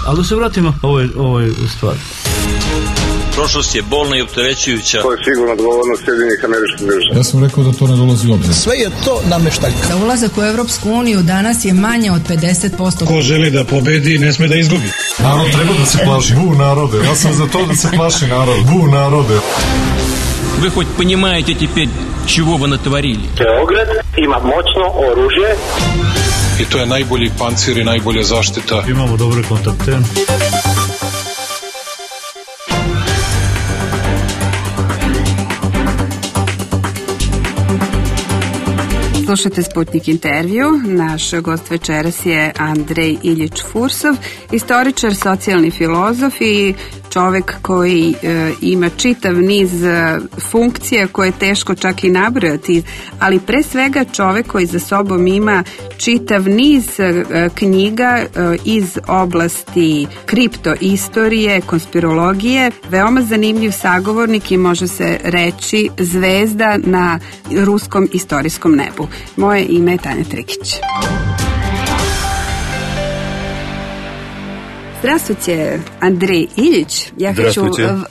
Ali da se vratimo ovoj stvari. Prošlost je bolna i opterećujuća. To je sigurno odgovornost Sjedinjenih Američkih Država. Ja sam rekao da to ne dolazi u obzir. Sve je to nameštaljka. Za ulazak u Evropsku uniju danas je manje od 50%. Ko želi da pobedi, ne sme da izgubi. Narod treba da se plaši. Bu narode. Ja sam za to da se plaši narod. Bu narode. Вы хоть понимаете теперь, чего вы натворили? Beograd ima moćno oružje. I to je najbolji pancir i najbolja zaštita. Imamo dobre kontakte. Slušate Sputnik intervju. Naš gost večeras je Andrej Iljič-Fursov, istoričar, socijalni filozof i čovek koji ima čitav niz funkcija koje je teško čak i nabrojati, ali pre svega čovek koji za sobom ima čitav niz knjiga iz oblasti kriptoistorije, konspirologije, veoma zanimljiv sagovornik i može se reći zvezda na ruskom istorijskom nebu. Moje ime je Tanja Trikić. Здравствуйте, Andrej Iljić. Ja ću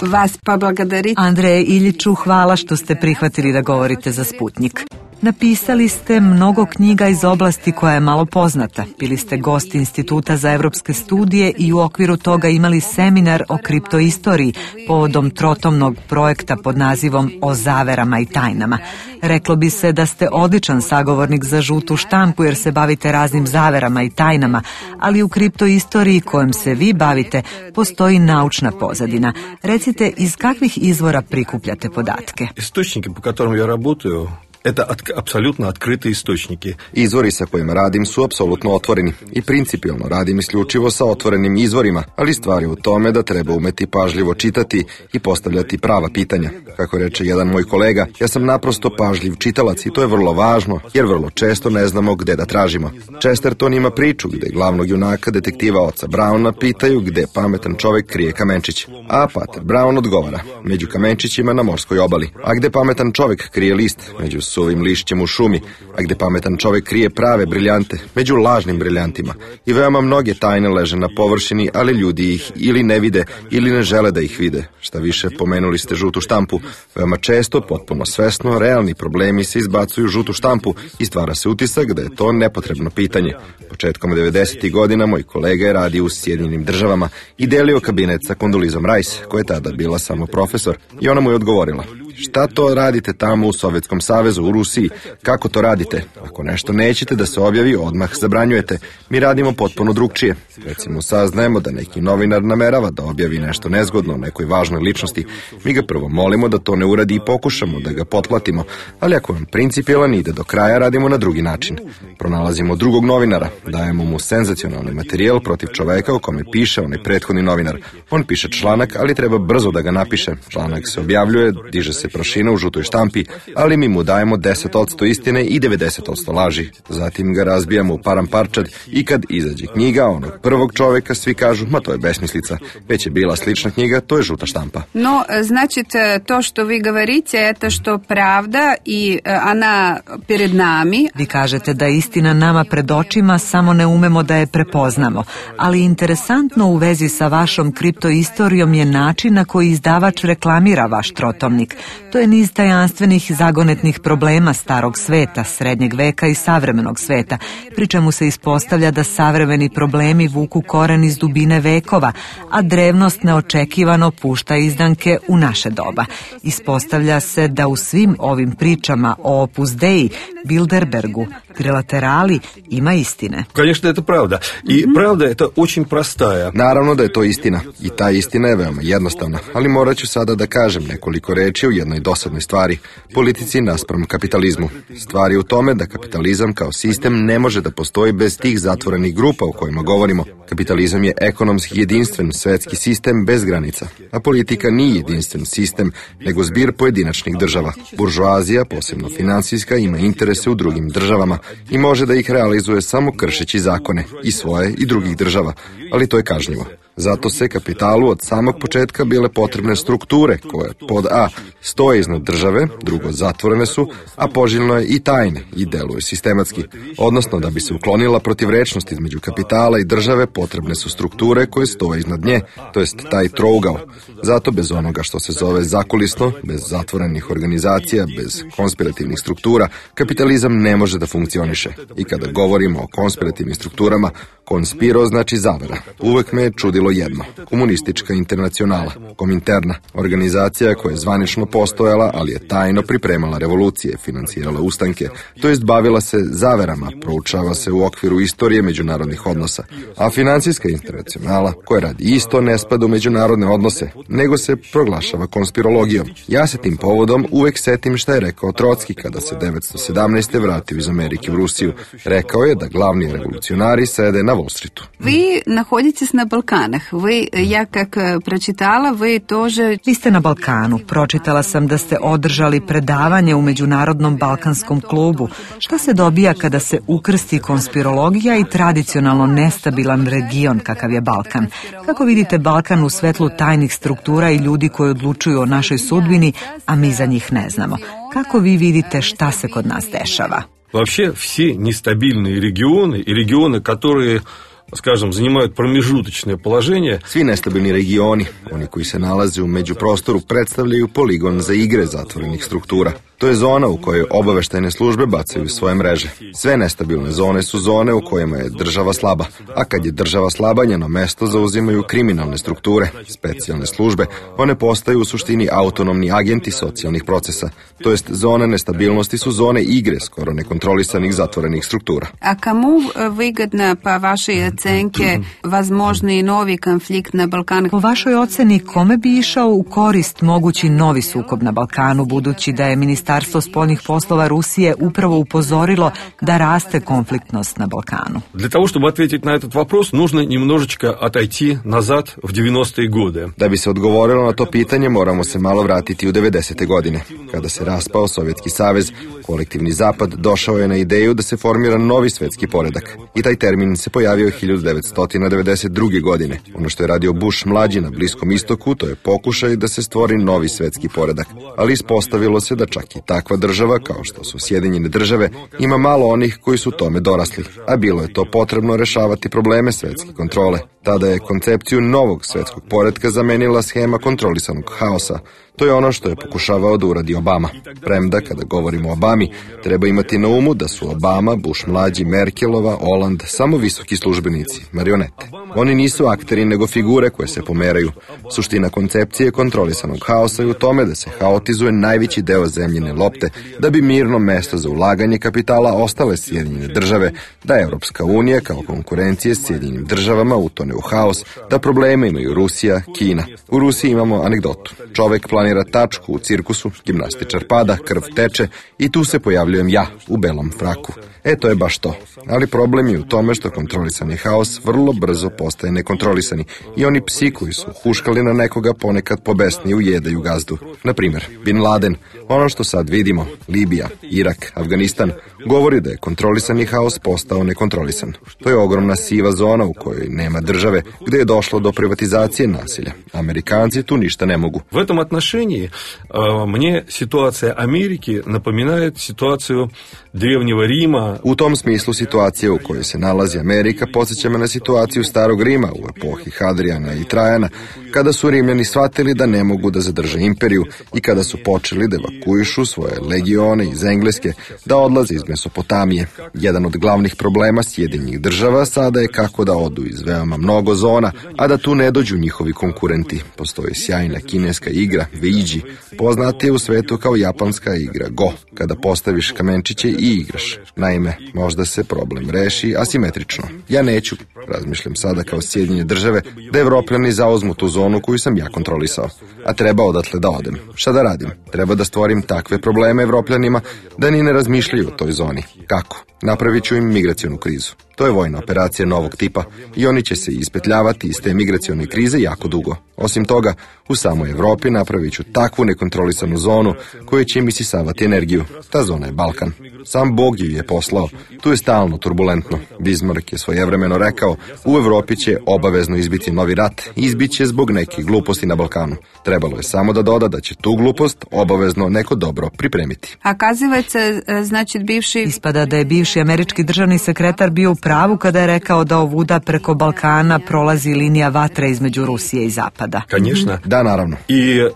vas poblagodariti. Andreje Iljiću, hvala što ste prihvatili da govorite za Sputnik. Napisali ste mnogo knjiga iz oblasti koja je malo poznata. Bili ste gost Instituta za evropske studije i u okviru toga imali seminar o kriptoistoriji povodom trotomnog projekta pod nazivom O zaverama i tajnama. Reklo bi se da ste odličan sagovornik za žutu štampu jer se bavite raznim zaverama i tajnama, ali u kriptoistoriji kojom se vi bavite postoji naučna pozadina. Recite, iz kakvih izvora prikupljate podatke? Источники, по которым я работаю, это apsolutno открытые источники. Izvori sa kojima radim su apsolutno otvoreni i principijelno radim isključivo sa otvorenim izvorima, ali stvar je u tome da treba umeti pažljivo čitati i postavljati prava pitanja. Kako reče jedan moj kolega, ja sam naprosto pažljiv čitalac i to je vrlo važno, jer vrlo često ne znamo gde da tražimo. Chesterton ima priču gde glavnog junaka detektiva oca Browna pitaju gde pametan čovek krije kamenčić. A Pater Brown odgovara, među kamenčićima na morskoj obali. A gde pametan čovek krije list? Među suvim lišćem u šumi. A gde pametan čovek krije prave briljante? Među lažnim briljantima. I veoma mnoge tajne leže na površini, ali ljudi ih ili ne vide ili ne žele da ih vide. Šta više, pomenuli ste žutu štampu. Veoma često, potpuno svesno, realni problemi se izbacuju u žutu štampu i stvara se utisak da je to nepotrebno pitanje. Početkom 90. godina moj kolega je radio u Sjedinjenim Državama i delio kabinet sa Kondolizom Rice, koja je tada bila samo profesor, i ona mu je odgovorila: šta to radite tamo u Sovjetskom savezu, u Rusiji? Kako to radite? Ako nešto nećete da se objavi, odmah zabranjujete. Mi radimo potpuno drugčije. Recimo, saznajemo da neki novinar namerava da objavi nešto nezgodno o nekoj važnoj ličnosti. Mi ga prvo molimo da to ne uradi i pokušamo da ga potplatimo, ali ako vam principijelan ide do kraja, radimo na drugi način. Pronalazimo drugog novinara, dajemo mu senzacionalni materijal protiv čoveka o kome piše onaj prethodni novinar. On piše članak, ali treba brzo da ga napiše. Članak se objavljuje, diže se prašina u žutoj štampi, ali mi mu dajemo 10% istine i 90% laži. Zatim ga razbijamo u paramparčad i kad izađe knjiga onog prvog čoveka, svi kažu, ma to je besmislica. Već je bila slična knjiga, to je žuta štampa. No, значит, to što vi govorite, это što pravda i ona pred nami. Vi kažete da je istina nama pred očima, samo ne umemo da je prepoznamo. Ali interesantno u vezi sa vašom kriptoistorijom je način na koji izdavač reklamira vaš trotomnik. To je niz tajanstvenih zagonetnih problema starog sveta, srednjeg veka i savremenog sveta, pri čemu se ispostavlja da savremeni problemi vuku koren iz dubine vekova, a drevnost neočekivano pušta izdanke u naše doba. Ispostavlja se da u svim ovim pričama o Opus Dei, Bilderbergu, trilaterali ima istine. Конечно, это правда. И правда это очень простая. Naravno da je to istina. I ta istina je veoma jednostavna. Ali morat ću sada da kažem nekoliko reči o jednoj dosadnoj stvari. Politici naspram kapitalizmu. Stvar je u tome da kapitalizam kao sistem ne može da postoji bez tih zatvorenih grupa o kojima govorimo. Kapitalizam je ekonomski jedinstven svetski sistem bez granica. A politika nije jedinstven sistem, nego zbir pojedinačnih država. Buržoazija, posebno finansijska, ima interese u drugim državama i može da ih realizuje samo kršeći zakone i svoje i drugih država, ali to je kažnjivo. Zato se kapitalu od samog početka bile potrebne strukture koje pod A stoje iznad države, drugo zatvorene su, a poželjno je i tajne i deluje sistematski. Odnosno, da bi se uklonila protivrečnost između kapitala i države, potrebne su strukture koje stoje iznad nje, to jest taj trougao. Zato bez onoga što se zove zakulisno, bez zatvorenih organizacija, bez konspirativnih struktura, kapitalizam ne može da funkcioniše. I kada govorimo o konspirativnim strukturama, konspiro znači zavera. Uvek me je čudilo jedno. Komunistička internacionala, Kominterna, organizacija koja je zvanično postojala, ali je tajno pripremala revolucije, financirala ustanke, to jest bavila se zaverama, proučava se u okviru istorije međunarodnih odnosa. A finansijska internacionala, koja radi isto, ne spada u međunarodne odnose, nego se proglašava konspirologijom. Ja se tim povodom uvek setim šta je rekao Trotski kada se 1917. vratio iz Amerike u Rusiju. Rekao je da glavni revolucionari sede na Wall Streetu. Vi nahodite se na Balkanah. Ja kak pročitala, Vi ste na Balkanu. Pročitala sam da ste održali predavanje u Međunarodnom balkanskom klubu. Šta se dobija kada se ukrsti konspirologija i tradicionalno nestabilan region kakav je Balkan? Kako vidite Balkan u svetlu tajnih struktura i ljudi koji odlučuju o našoj sudbini, a mi za njih ne znamo? Kako vi vidite šta se kod nas dešava? Вообще все нестабильные регионы и регионы, которые, скажем, занимают промежуточное положение. Svi nestabilni regioni, oni koji se nalaze u međuprostoru, predstavljaju poligon za igre zatvorenih struktura. To je zona u kojoj obaveštajne službe bacaju svoje mreže. Sve nestabilne zone su zone u kojima je država slaba, a kad je država slaba, njeno mesto zauzimaju kriminalne strukture, specijalne službe. One postaju u suštini autonomni agenti socijalnih procesa. To jest zone nestabilnosti su zone igre skoro nekontrolisanih zatvorenih struktura. A kamu vygodna pa vaše ocenke возможni novi konflikt na Balkanu? Po vašoj oceni, kome bi išao u korist mogući novi sukob na Balkanu, budući da je Ministarstvo spoljnih poslova Rusije upravo upozorilo da raste konfliktnost na Balkanu? Для того, чтобы ответить на этот вопрос, нужно немножечко отойти назад в 90-е годы. Da bi se odgovorilo na to pitanje, moramo se malo vratiti u 90. godine. Kada se raspao Sovjetski savez, kolektivni zapad došao je na ideju da se formira novi svetski poredak. I taj termin se pojavio 1992. godine. Ono što je radio Bush mlađi na Bliskom istoku, to je pokušaj da se stvori novi svetski poredak. Ali ispostavilo se da čak i takva država, kao što su Sjedinjene države, ima malo onih koji su tome dorasli, a bilo je to potrebno rešavati probleme svetske kontrole. Tada je koncepciju novog svetskog poretka zamenila schema kontrolisanog haosa. To je ono što je pokušavao da uradi Obama. Premda, kada govorimo o Obami, treba imati na umu da su Obama, Bush mlađi, Merkelova, Holand samo visoki službenici, marionete. Oni nisu akteri, nego figure koje se pomeraju. Suština koncepcije kontrolisanog haosa je u tome da se haotizuje najveći deo zemljine lopte, da bi mirno mesto za ulaganje kapitala ostale Sjedinjene države, da Evropska unija kao konkurencije s Sjedinjenim državama utone u haos, da probleme imaju Rusija, Kina. U Rusiji imamo anegdotu. Čovek planira tačku u cirkusu, gimnastičar pada, krv teče i tu se pojavljujem ja u belom fraku. To je baš to. Ali problem je u tome što kontrolisani haos vrlo brzo postaje nekontrolisani i oni psi koji su huškali na nekoga ponekad pobesni ujedaju gazdu. Naprimjer, Bin Laden, ono što sad vidimo, Libija, Irak, Afganistan, govori da je kontrolisani haos postao nekontrolisan. To je ogromna siva zona u kojoj nema države, gde je došlo do privatizacije nasilja. Amerikanci tu ništa ne mogu. В этом отношении мне ситуация Америки напоминает ситуацию Древнего Рима. U tom smislu situacija u kojoj se nalazi Amerika podsjeća me na situaciju Starog Rima u epohi Hadrijana i Trajana, kada su Rimljani shvatili da ne mogu da zadrže imperiju i kada su počeli da evakuišu svoje legione iz Engleske, da odlaze iz Mesopotamije. Jedan od glavnih problema Sjedinjenih država sada je kako da odu iz veoma mnogo zona, a da tu ne dođu njihovi konkurenti. Postoji sjajna kineska igra Weiji, poznatija u svetu kao japanska igra Go, kada postaviš kamenčiće i igraš. Naime, možda se problem reši asimetrično. Ja neću, razmišljam sada kao Sjedinjene države, da Evropljani zauzmu tu zonu koju sam ja kontrolisao. A treba odatle da odem. Šta da radim? Treba da stvorim takve probleme Evropljanima da ni ne razmišljaju o toj zoni. Kako? Napravit ću im migracionu krizu. To je vojna operacija novog tipa i oni će se ispetljavati iz te migracione krize jako dugo. Osim toga, u samoj Evropi napravit ću takvu nekontrolisanu zonu koja će im isisavati energiju. Ta zona je Balkan. Sam Bog ju je poslao. Tu je stalno turbulentno. Bismarck je svojevremeno rekao, u Evropi će obavezno izbiti novi rat, izbiće zbog nekih gluposti na Balkanu. Trebalo je samo da doda da će tu glupost obavezno neko dobro pripremiti. Ispada da je bivši američki državni sekretar bio u pravu kada je rekao da ovuda preko Balkana prolazi linija vatre između Rusije i Zapada. Конечно. Da, naravno. И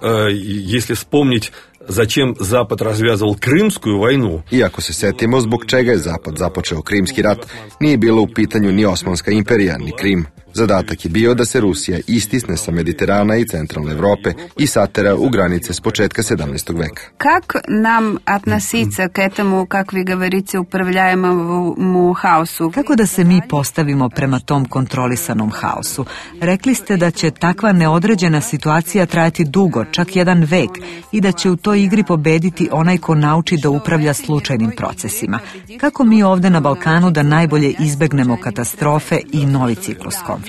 если вспомнить, зачем Запад развязывал Крымскую войну. Iako se setimo zbog čega je Zapad započeo Krimski rat, nije bilo u pitanju ni Osmanska imperija, ni Krim. Zadatak je bio da se Rusija istisne sa Mediterana i centralne Evrope i satera u granice s početka 17. veka. Как нам относиться к этому, как вы говорите, управляемому хаосу? Kako da se mi postavimo prema tom kontrolisanom haosu? Rekli ste da će takva neodređena situacija trajati dugo, čak jedan vek, i da će u toj igri pobediti onaj ko nauči da upravlja slučajnim procesima. Kako mi ovde na Balkanu da najbolje izbegnemo katastrofe i novi ciklus konflikta?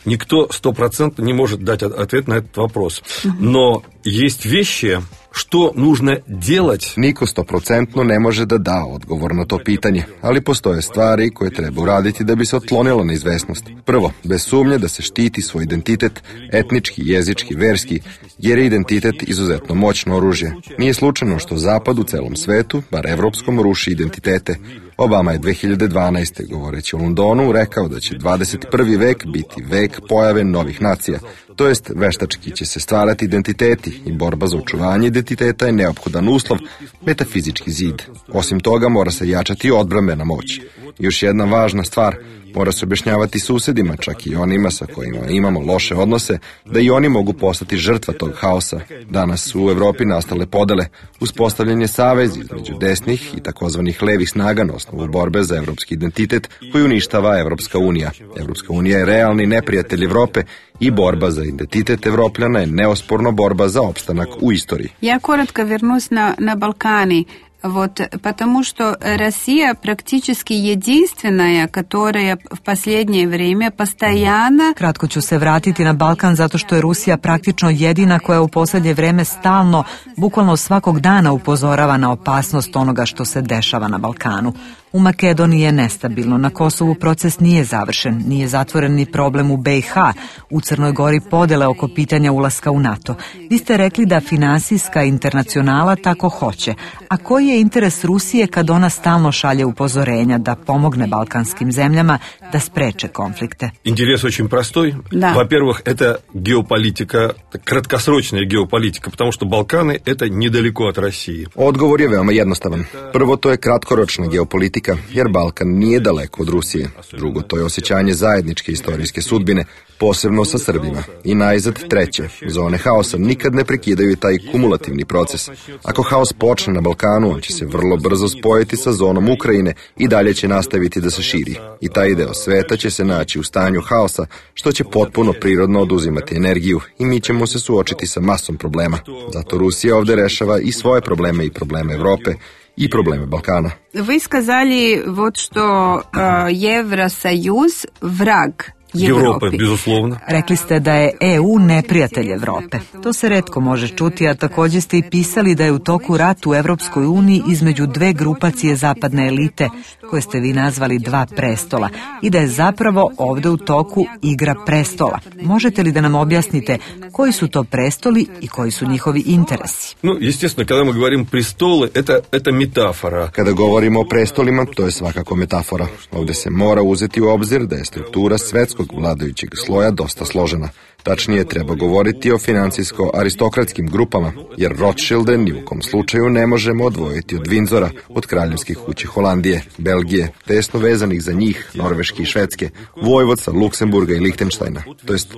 Никто 100% не может дать ответ на этот вопрос. Но есть вещи, što нужно делать. Niko 100% ne može da da odgovor na to pitanje, ali postoje stvari koje treba uraditi da bi se otklonila neizvesnost. Prvo, bez sumnje da se štiti svoj identitet, etnički, jezički, verski, jer je identitet izuzetno moćno oružje. Nije slučajno što Zapad u celom svetu, bar evropskom, ruši identitete. Obama je 2012. govoreći o Londonu rekao da će 21. vek biti vek pojave novih nacija. To jest, veštački će se stvarati identiteti i borba za očuvanje identiteta je neophodan uslov, metafizički zid. Osim toga, mora se jačati odbrambena moć. Još jedna važna stvar, mora se objašnjavati susedima, čak i onima sa kojima imamo loše odnose, da i oni mogu postati žrtva tog haosa. Danas su u Evropi nastale podele, uspostavljen je savez između desnih i takozvanih levih snaga na osnovu borbe za evropski identitet koji uništava Evropska unija. Evropska unija je realni neprijatelj Evrope i borba za identitet Evropljana je neosporno borba za opstanak u istoriji. Ja коротко вернусь на Балкане. Вот, потому что Россия практически единственная, которая в последнее время постоянно... Kratko ću se vratiti na Balkan zato što je Rusija praktično jedina koja u posljednje vreme stalno, bukvalno svakog dana upozorava na opasnost onoga što se dešava na Balkanu. U Makedoniji je nestabilno, na Kosovu proces nije završen, nije zatvoren ni problem u BiH, u Crnoj Gori podele oko pitanja ulaska u NATO. Vi ste rekli da finansijska internacionala tako hoće. A koji je interes Rusije kad ona stalno šalje upozorenja da pomogne balkanskim zemljama da spreče konflikte? Интерес очень простой. Да. Во-первых, это геополитика, краткосрочная геополитика, потому что Балканы это недалеко от России. Odgovor je veoma jednostavan. Prvo, to je kratkoročna geopolitika, jer Balkan nije daleko od Rusije. Drugo, to je osjećanje zajedničke istorijske sudbine, posebno sa Srbima. I najzad treće, zone haosa nikad ne prekidaju taj kumulativni proces. Ako haos počne na Balkanu, on će se vrlo brzo spojiti sa zonom Ukrajine i dalje će nastaviti da se širi. I taj deo sveta će se naći u stanju haosa, što će potpuno prirodno oduzimati energiju i mi ćemo se suočiti sa masom problema. Zato Rusija ovde rešava i svoje probleme i probleme Evrope i probleme Balkana. Вы сказали вот что Евросоюз враг Европа, безусловно. Rekli ste da je EU neprijatelj Evrope. To se retko može čuti, a također ste i pisali da je u toku rat u Evropskoj uniji između dve grupacije zapadne elite, koje ste vi nazvali dva prestola, i da je zapravo ovde u toku igra prestola. Možete li da nam objasnite koji su to prestoli i koji su njihovi interesi? Ну, естественно, когда мы говорим престолы, это метафора. Kada govorimo o prestolima, to je svakako metafora. Ovde se mora uzeti u obzir da je struktura svetskog vladajućeg sloja dosta složena. Tačnije, treba govoriti o financijsko-aristokratskim grupama, jer Rothschilde ni u kom slučaju ne možemo odvojiti od Windsora, od kraljevskih kuće Holandije, Belgije, tesno vezanih za njih, Norveške i Švedske, vojvodca Luksemburga i Lihtenštajna.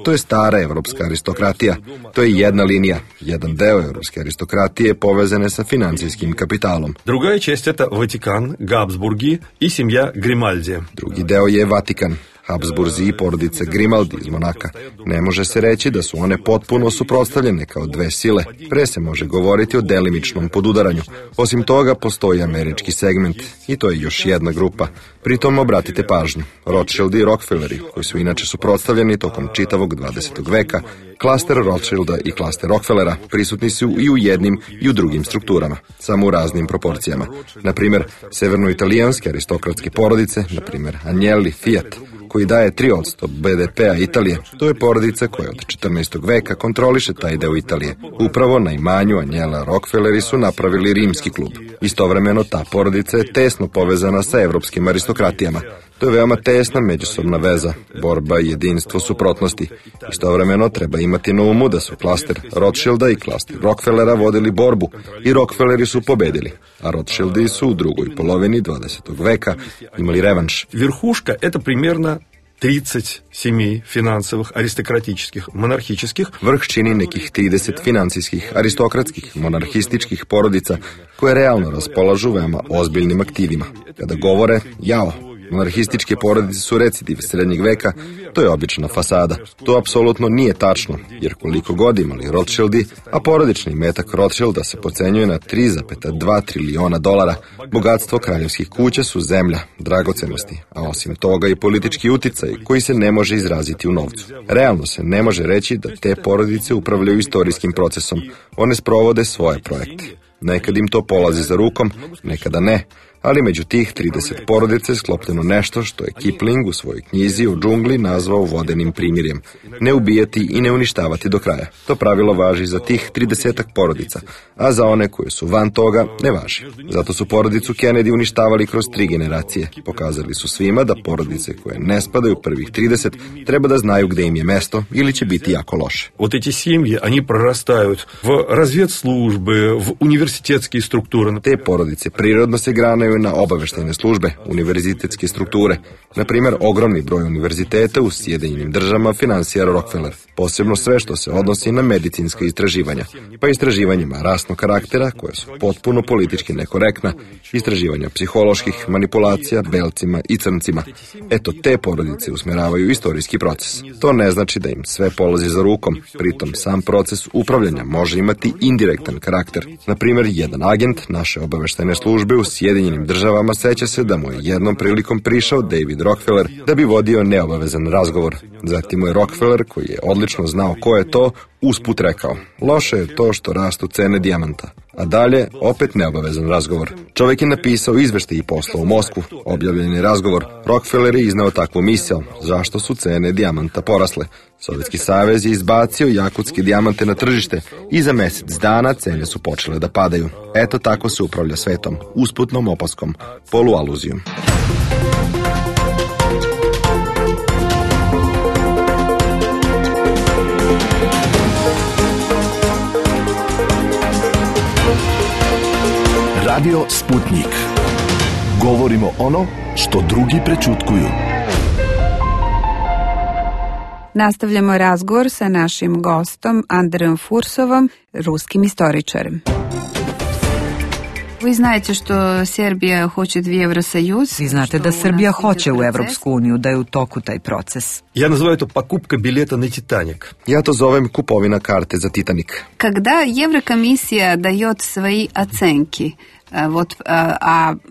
To je stara evropska aristokratija. To je jedna linija, jedan deo evropske aristokratije povezane sa financijskim kapitalom. Другая часть это Ватикан, Габсбурги и семья Гримальди. Drugi deo je Vatikan. Habsburzi i porodice Grimaldi iz Monaka. Ne može se reći da su one potpuno suprotstavljene kao dve sile. Pre se može govoriti o delimičnom podudaranju. Osim toga, postoji američki segment i to je još jedna grupa. Pritom obratite pažnju, Rothschildi i Rockefelleri, koji su inače suprotstavljeni tokom čitavog 20. veka, klaster Rothschilda i klaster Rockefellera prisutni su i u jednim i u drugim strukturama, samo u raznim proporcijama. Na primjer, severnoitalijanske aristokratske porodice, na primjer Agnelli Fiat, koji daje 3% BDP-a Italije, to je porodica koja od 14. veka kontroliše taj deo Italije. Upravo na imanju Agnella Rockefelleri su napravili rimski klub. Istovremeno ta porodica je tesno povezana sa evropskim aristokratijama. To je veoma tesna međusobna veza, borba i jedinstvo suprotnosti. Istovremeno treba imati na umu da su klaster Rothschilda i klaster Rockefellera vodili borbu i Rockefelleri su pobedili, a Rothschildi su u drugoj polovini 20. veka imali revanš. Верхушка – это примерно 30 семей финансовых, аристократических, монархических. Vrh čini nekih 30 finansijskih, aristokratskih, monarhističkih porodica koje realno raspolažu veoma ozbiljnim aktivima. Kada govore, jao, monarhističke porodice su recidiv srednjeg veka, to je obična fasada. To apsolutno nije tačno, jer koliko god imali Rothschildi, a porodični imetak Rothschilda se procenjuje na 3,2 triliona dolara, bogatstvo kraljevskih kuća su zemlja, dragocenosti, a osim toga i politički uticaj koji se ne može izraziti u novcu. Realno se ne može reći da te porodice upravljaju istorijskim procesom, one sprovode svoje projekte. Nekad im to polazi za rukom, nekada ne, ali među tih 30 porodica je sklopljeno nešto što je Kipling u svojoj knjizi o džungli nazvao vodenim primirjem. Ne ubijati i ne uništavati do kraja. To pravilo važi za tih 30 porodica, a za one koje su van toga ne važi. Zato su porodicu Kennedy uništavali kroz 3 generacije. Pokazali su svima da porodice koje ne spadaju prvih 30 treba da znaju gde im je mesto ili će biti jako loše. Вот эти семьи, они прорастают в разведслужбы, в университетские структуры. Te porodice prirodno se granaju na obaveštajne službe, univerzitetske strukture. Na primjer, ogromni broj univerziteta u Sjedinjenim državama finansira Rockefeller. Posebno sve što se odnosi na medicinska istraživanja, pa istraživanjima rasnog karaktera, koja su potpuno politički nekorektna, istraživanja psiholoških manipulacija belcima i crncima. Eto, te porodice usmeravaju istorijski proces. To ne znači da im sve polazi za rukom, pritom sam proces upravljanja može imati indirektan karakter. Na primjer, jedan agent naše obaveštajne službe u Sjedinjenim državama seća se da mu je jednom prilikom prišao David Rockefeller da bi vodio neobavezan razgovor. Zatim mu je Rockefeller, koji je odlično znao ko je to, usput rekao: loše je to što rastu cene dijamanta. A dalje, opet neobavezan razgovor. Čovjek je napisao izveštaj i poslao u Moskvu. Objavljen je razgovor. Rockefeller je iznao takvu misao: zašto su cene dijamanta porasle? Sovjetski savez je izbacio jakutske dijamante na tržište i za mjesec dana cene su počele da padaju. Eto tako se upravlja svetom, usputnom opaskom, polualuzijom. Radio Sputnik. Govorimo ono što drugi prećutkuju. Nastavljamo razgovor sa našim gostom Andrejom Fursovom, ruskim istoričarem. Vi znate što Serbija hoće u Evrosajuz? Vi znate da Srbija hoće u Evropsku uniju, da je u toku taj proces. Ja nazivaju to покупка билета на Титаник. Ja to zovem kupovina karte za Titanik. Когда Еврокомиссия дает свои оценки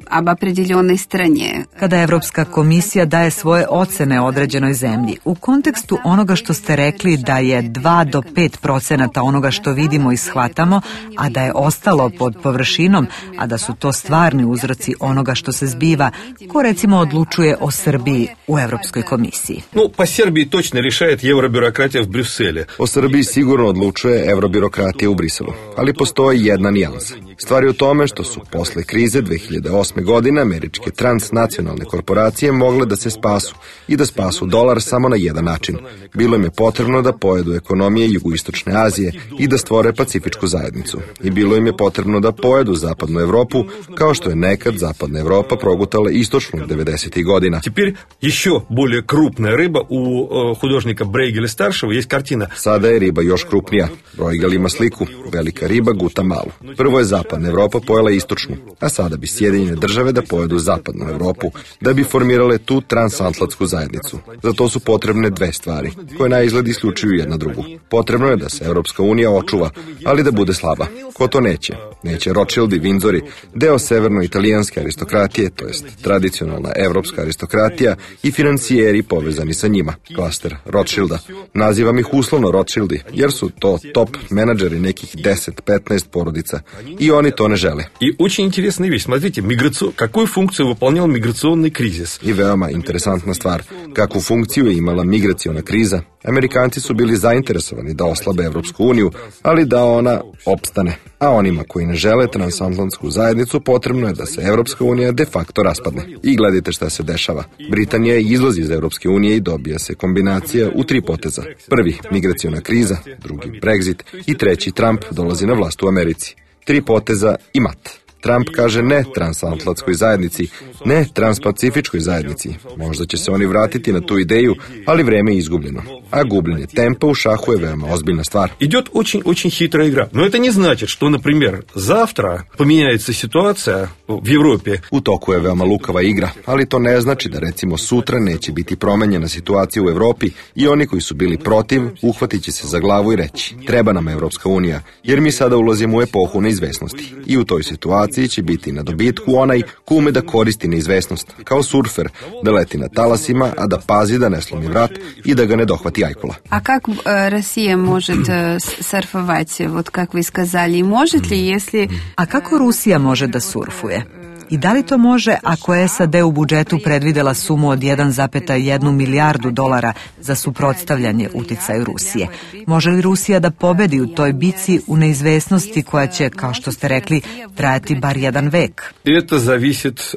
об определенной стране. Kada Evropska komisija daje svoje ocene određenoj zemlji, u kontekstu onoga što ste rekli da je 2 do 5% onoga što vidimo i shvatamo, a da je ostalo pod površinom, a da su to stvarni uzroci onoga što se zbiva, ko recimo odlučuje o Srbiji u Evropskoj komisiji? Po Srbiji točno rješaje evrobirokratija u Briselu. O Srbiji sigurno odlučuje evrobirokratija u Briselu, ali postoji jedna nijansa. Stvar je u tome što su posle krize 2008. godine američke transnacionalne korporacije mogle da se spasu i da spasu dolar samo na jedan način. Bilo im je potrebno da pojedu ekonomije jugoistočne Azije i da stvore pacifičku zajednicu. I bilo im je potrebno da pojedu zapadnu Evropu, kao što je nekad zapadna Evropa progutala istočnu 90. godina. Теперь еще более крупная рыба у художника Брейгеля старшего есть картина. Sada je riba još krupnija. Bruegel ima sliku. Velika riba guta malu. Prvo je zapadna Evropa pojela istočnu istočnu, a sada bi Sjedinjene države da pojedu zapadnu Europu, da bi formirale tu transatlantsku zajednicu. Za to su potrebne dve stvari, koje na izgled isključuju jedna drugu. Potrebno je da se Europska unija očuva, ali da bude slaba. Ko to neće? Neće Rothschildi, Windsori, deo severno-italijanske aristokratije, to jest tradicionalna evropska aristokratija i financijeri povezani sa njima, klaster Rothschilda. Nazivam ih uslovno Rothschildi, jer su to top menadžeri nekih 10-15 porodica i oni to ne žele. I очень интересная вещь. Смотрите, какую функцию выполнял миграционный кризис? I veoma interesantna stvar, kakvu funkciju je imala migraciona kriza. Amerikanci su bili zainteresovani da oslabe Evropsku uniju, ali da ona opstane. A onima koji ne žele transatlantsku zajednicu potrebno je da se Evropska unija de facto raspadne. I gledajte šta se dešava. Britanija izlazi iz Evropske unije i dobija se kombinacija u 3 poteza. Prvi, migraciona kriza, drugi, Brexit i treći, Trump dolazi na vlast u Americi. 3 poteza i mat. Trump kaže ne transatlantskoj zajednici, ne transpacifičkoj zajednici. Možda će se oni vratiti na tu ideju, ali vreme je izgubljeno. A gubljenje tempa u šahu je veoma ozbiljna stvar. Идет очень хитрая игра. Но это не значит, что, например, завтра поменяется ситуация в Европе. U toku je veoma lukava igra, ali to ne znači da recimo sutra neće biti promenjena situacija u Evropi i oni koji su bili protiv uhvatit će se za glavu i reći treba nam Evropska unija, jer mi sada ulazimo u epohu neizvesnosti. I u toj situaciji će biti na dobitku onaj ko ume da koristi neizvesnost, kao surfer, da leti na talasima, a da pazi da ne slomi vrat i da ga ne dohvati ajkula. А как Россия может surfовать, вот как вы сказали, может ли, если... A kako Rusija može da surfuje? I da li to može ako je SAD u budžetu predvidela sumu od 1,1 milijardu dolara za suprotstavljanje uticaju Rusije? Može li Rusija da pobedi u toj bici u neizvesnosti koja će, kao što ste rekli, trajati bar jedan vek? Это зависит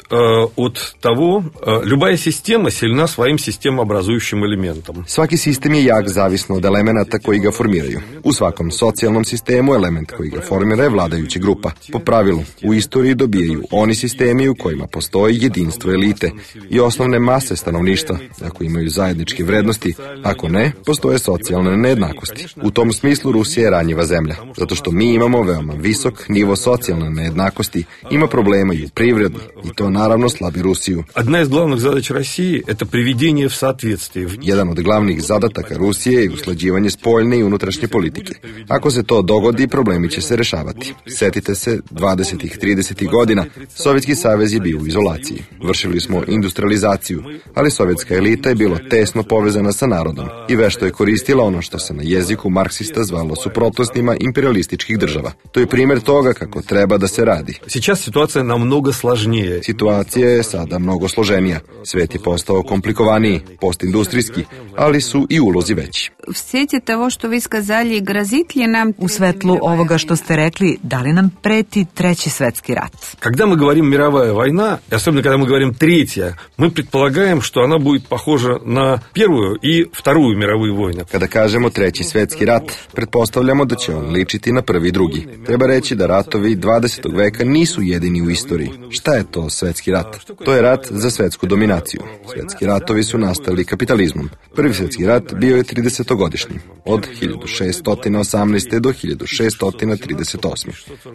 от того, любая система сильна своим системообразующим элементом. Svaki sistem je jak zavisno od elemenata koji ga formiraju. U svakom socijalnom sistemu element koji ga formira je vladajuća grupa. Po pravilu, u istoriji dobijaju oni sistemi u kojima postoji jedinstvo elite i osnovne mase stanovništva, ako imaju zajedničke vrednosti, ako ne, postoje socijalne nejednakosti. U tom smislu Rusija je ranjiva zemlja, zato što mi imamo veoma visok nivo socijalne nejednakosti, ima problema i u privredi i to naravno slabi Rusiju. Одна из главных задач России – это приведение в соответствие. Jedan od glavnih zadataka Rusije je usklađivanje spoljne i unutrašnje politike. Ako se to dogodi, problemi će se rešavati. Setite se, 20. 30. godina Sovjetski savez je bio u izolaciji. Vršili smo industrializaciju, ali sovjetska elita je bila tesno povezana sa narodom i vešto je koristila ono što se na jeziku marksista zvalo suprotnostima imperialističkih država. To je primjer toga kako treba da se radi. Сейчас ситуация намного сложнее. Situacija je sada mnogo složenija. Svet je postao komplikovaniji, postindustrijski, ali su i ulozi veći. В свете того, что вы сказали, грозит ли нам... U svetlu ovoga što ste rekli, da li nam preti treći svetski rat? Когда мы говорим мировая война, и особенно когда мы говорим третья, мы предполагаем, что она будет похожа на Первую и Вторую мировые войны. Kada kažemo treći svetski rat, pretpostavljamo da će on ličiti na prvi i drugi. Treba reći da ratovi 20. veka nisu jedini u istoriji. Šta je to svetski rat? To je rat za svetsku dominaciju. Svetski ratovi su nastali kapitalizmom. Prvi svetski rat bio je 30-godišnji, od 1618. do 1638.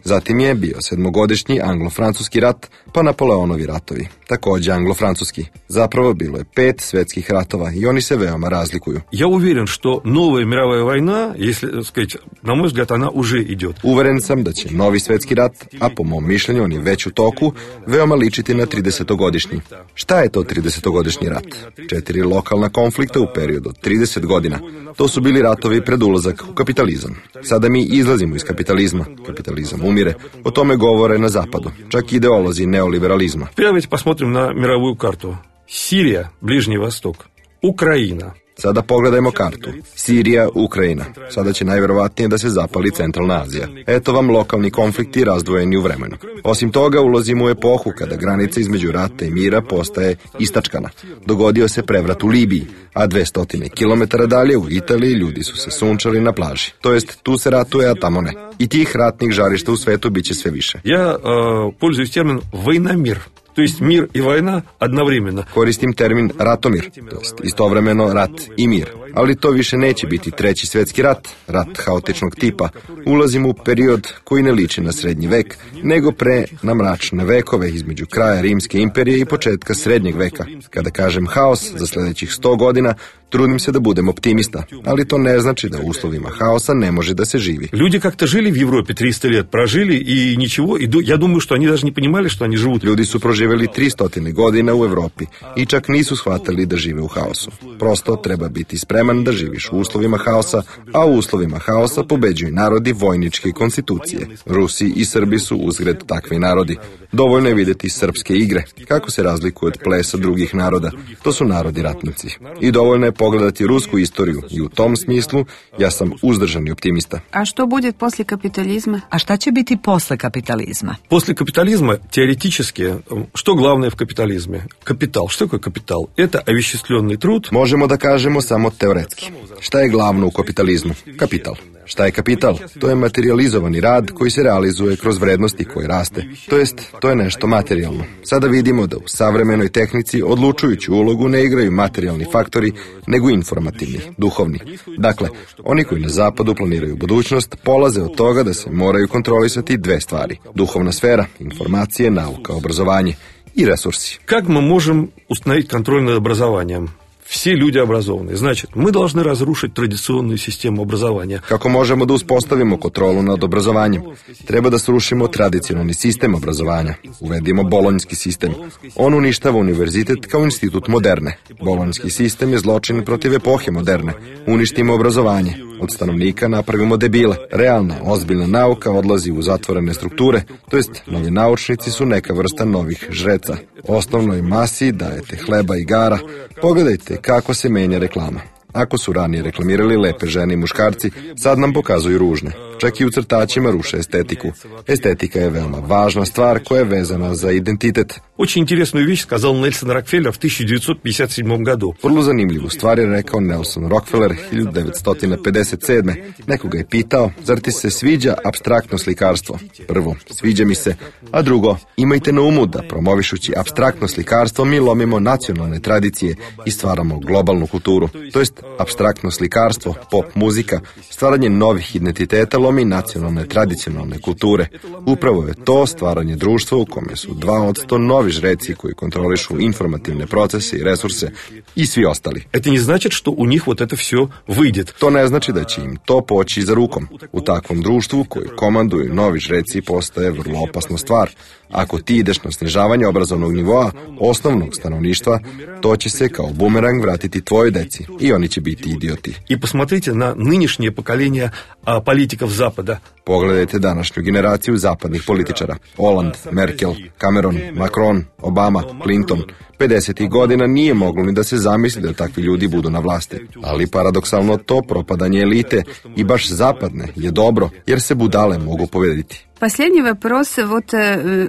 Zatim je bio 7-godišnji anglo-francuski rat, pa Napoleonovi ratovi, takođe anglo-francuski. Zapravo bilo je 5 svetskih ratova i oni se veoma razlikuju. Я уверен, что новая мировая война, если сказать, на мой взгляд, она уже идет. Uveren sam da će novi svetski rat, a po mom mišljenju on je već u toku, veoma ličiti na 30-godišnji. Šta je to 30-godišnji rat? 4 lokalna konflikta u periodu od 30 godina. To su bili ratovi pred ulazak u kapitalizam. Sada mi izlazimo iz kapitalizma. Kapitalizam umire. O tome govore na zapadu. Čak ideolozi neoliberalizma. Давайте посмотрим на мировую карту. Сирия, Ближний Восток, Украина. Sada pogledajmo kartu. Sirija, Ukrajina. Sada će najverovatnije da se zapali Centralna Azija. Eto vam lokalni konflikti razdvojeni u vremenu. Osim toga, ulazimo u epohu kada granica između rata i mira postaje istačkana. Dogodio se prevrat u Libiji, a 200 kilometara dalje u Italiji ljudi su se sunčali na plaži. To jest, tu se ratuje, a tamo ne. I tih ratnih žarišta u svetu biće sve više. Я пользуюсь термином «войномир». То есть мир и война одновременно. Koristim termin ratomir, to jest istovremeno rat i mir. Ali to više neće biti treći svjetski rat, rat haotičnog tipa. Ulazimo u period koji ne liči na srednji vek, nego pre na mračne vekove između kraja Rimske imperije i početka srednjeg veka. Kada kažem haos za sljedećih 100 godina, trudim se da budem optimista, ali to ne znači da u uslovima haosa ne može da se živi. Люди как-то жили в Европе 300 лет, прожили и ничего, и я думаю, что они даже не понимали, что они живут. Ljudi su proživjeli 300 godina u Evropi i čak nisu shvatili da žive u haosu. Prosto treba biti spreman da živiš u uslovima haosa, a u uslovima haosa pobeđuju narodi vojničke konstitucije. Rusi i Srbi su uzgred takvi narodi. Dovoljno je vidjeti srpske igre, kako se razlikuju od plesa drugih naroda. To su narodi ratnici. I dovoljno je pogledati rusku istoriju i u tom smislu ja sam uzdržani optimista. A što bude poslije kapitalizma? A šta će biti posle kapitalizma? После капитализма теоретически, что главное в капитализме? Капитал. Что такое капитал? Это овеществленный труд. Možemo da kažemo samo teoretski. Šta je glavno u kapitalizmu? Kapital. Šta je kapital? To je materializovani rad koji se realizuje kroz vrednosti koje raste. To je nešto materijalno. Sada vidimo da u savremenoj tehnici odlučujuću ulogu ne igraju materijalni faktori, nego informativni, duhovni. Dakle, oni koji na zapadu planiraju budućnost polaze od toga da se moraju kontrolisati dve stvari. Duhovna sfera, informacije, nauka, obrazovanje i resursi. Как мы можем установить контроль над образованием? Все люди образованные. Значит, мы должны разрушить традиционную систему образования. Kako možemo da uspostavimo kontrolu nad obrazovanjem? Treba da srušimo tradicionalni sistem obrazovanja. Uvedimo bolonjski sistem. On uništava univerzitet kao institut moderne. Bolonjski sistem je zločin protiv epohe moderne. Uništimo obrazovanje. Od stanovnika napravimo debile. Realna, ozbiljna nauka odlazi u zatvorene strukture, to jest novi naučnici su neka vrsta novih žreca. Osnovnoj masi dajete hleba i igara. Pogledajte kako se menja reklama. Ako su ranije reklamirali lepe žene i muškarci, sad nam pokazuju ružne. Čak i u crtačima ruše estetiku. Estetika je veoma važna stvar koja je vezana za identitet. Очень интересную вещь сказал Нельсон Рокфеллер в 1957 году. Vrlo zanimljivu stvar je rekao Nelson Rockefeller 1957. Nekoga je pitao, zar ti se sviđa apstraktno slikarstvo? Prvo, sviđa mi se, a drugo, imajte na umu da promovišući apstraktno slikarstvo mi lomimo nacionalne tradicije i stvaramo globalnu kulturu. To jest, apstraktno slikarstvo, pop muzika, stvaranje novih identiteta lomi nacionalne tradicionalne kulture. Upravo je to stvaranje društva u kome su 2% novi žreci koji kontrolišu informativne procese i resurse i svi ostali. Это не значит, что у них вот это все выйдет. To ne znači da će im to poći za rukom. U takvom društvu koji komanduju novi žreci postaje vrlo opasna stvar. Ako ti ideš na snižavanje obrazovnog nivoa osnovnog stanovništva, to će se kao bumerang vratiti tvojoj deci i oni će biti idioti. И посмотрите на нынешнее поколение политиков Запада. Pogledajte današnju generaciju zapadnih političara. Hollande, Merkel, Cameron, Macron, Obama, Clinton. 50. godina nije moglo ni da se zamisli da takvi ljudi budu na vlasti. Ali paradoksalno to propadanje elite i baš zapadne je dobro, jer se budale mogu pobediti. Последний вопрос, вот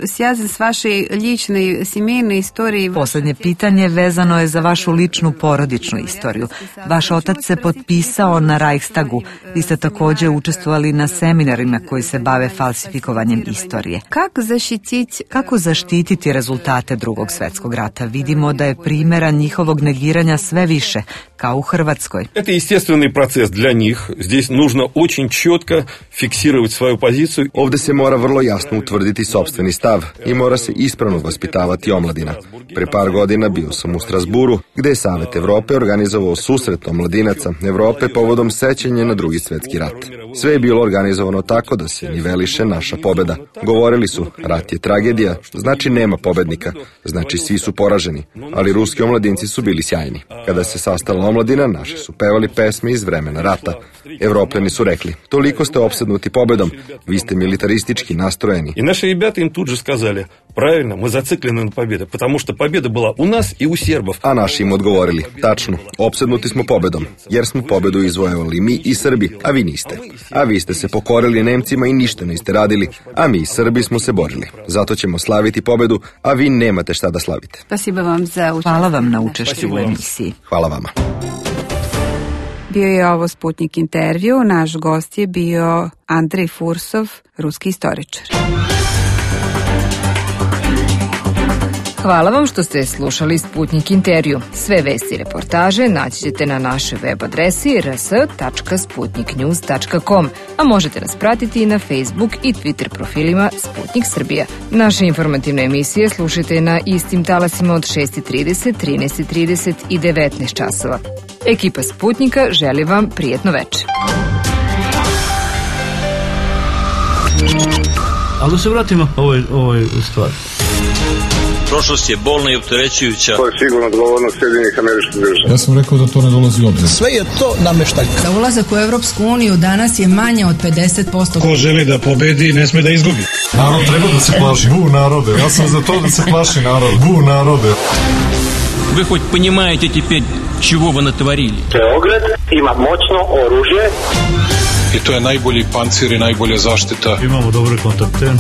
связан с вашей личной семейной историей. Poslednje pitanje vezano je za vašu ličnu porodičnu istoriju. Vaš otac se potpisao na Reichstagu. Vi ste također učestvovali na seminarima koji se bave falsifikovanjem istorije. Kako zaštititi rezultate Drugog svjetskog rata? Vidimo da je primjera njihovog negiranja sve više, kao u Hrvatskoj. Это естественный процесс для них. Здесь нужно очень четко фиксировать свою позицию. Ovdje se mora vrlo jasno utvrditi sopstveni stav i mora se ispravno vaspitavati omladina. Pre par godina bio sam u Strasburu, gde je Savet Evrope organizovao susret omladinaca Evrope povodom sećanja na Drugi svjetski rat. Sve je bilo organizovano tako da se niveliše naša pobeda. Govorili su, rat je tragedija, znači nema pobednika, znači svi su poraženi, ali ruski omladinci su bili sjajni. Kada se sastala omladina, naši su pevali pesme iz vremena rata. Evropljani su rekli, toliko ste opsednuti pobedom, vi ste militaristički nastrojeni. И наши ребята им тут же сказали, правильно, мы зациклены на победе, потому что победа была у нас и у сербов. A naši im odgovorili, tačno, opsednuti smo pobedom, jer smo pobedu izvojevali mi i Srbi, a vi niste. A vi ste se pokorili Nemcima i ništa niste radili, a mi Srbi smo se borili. Zato ćemo slaviti pobedu, a vi nemate šta da slavite. Hvala vam na učešću u emisiji. Hvala vama. Bio je ovo Sputnik intervju, naš gost je bio Andrej Fursov, ruski istoričar. Hvala vam što ste slušali Sputnik intervju. Sve vesti i reportaže naći ćete na našoj web adresi rs.sputniknews.com, a možete nas pratiti i na Facebook i Twitter profilima Sputnik Srbija. Naše informativne emisije slušajte na istim talasima od 6:30, 13:30 i 19 časova. Ekipa Sputnika želi vam prijetno večer. Ali da se vratimo ovoj stvari. Prošlost je bolna i opterećujuća. To je sigurno odgovornost Sjedinjenih Američkih Država. Ja sam rekao da to ne dolazi u obzir. Sve je to nameštaljka. Za ulazak u Evropsku uniju danas je manje od 50%. Ko želi da pobedi, ne sme da izgubi. Narod treba da se plaši. Bu narode. Ja sam za to da se plaši narod. Bu narode. Вы хоть понимаете теперь, чего вы натворили? Beograd ima moćno oružje. I to je najbolji pancir i najbolja zaštita. Imamo dobre kontakte.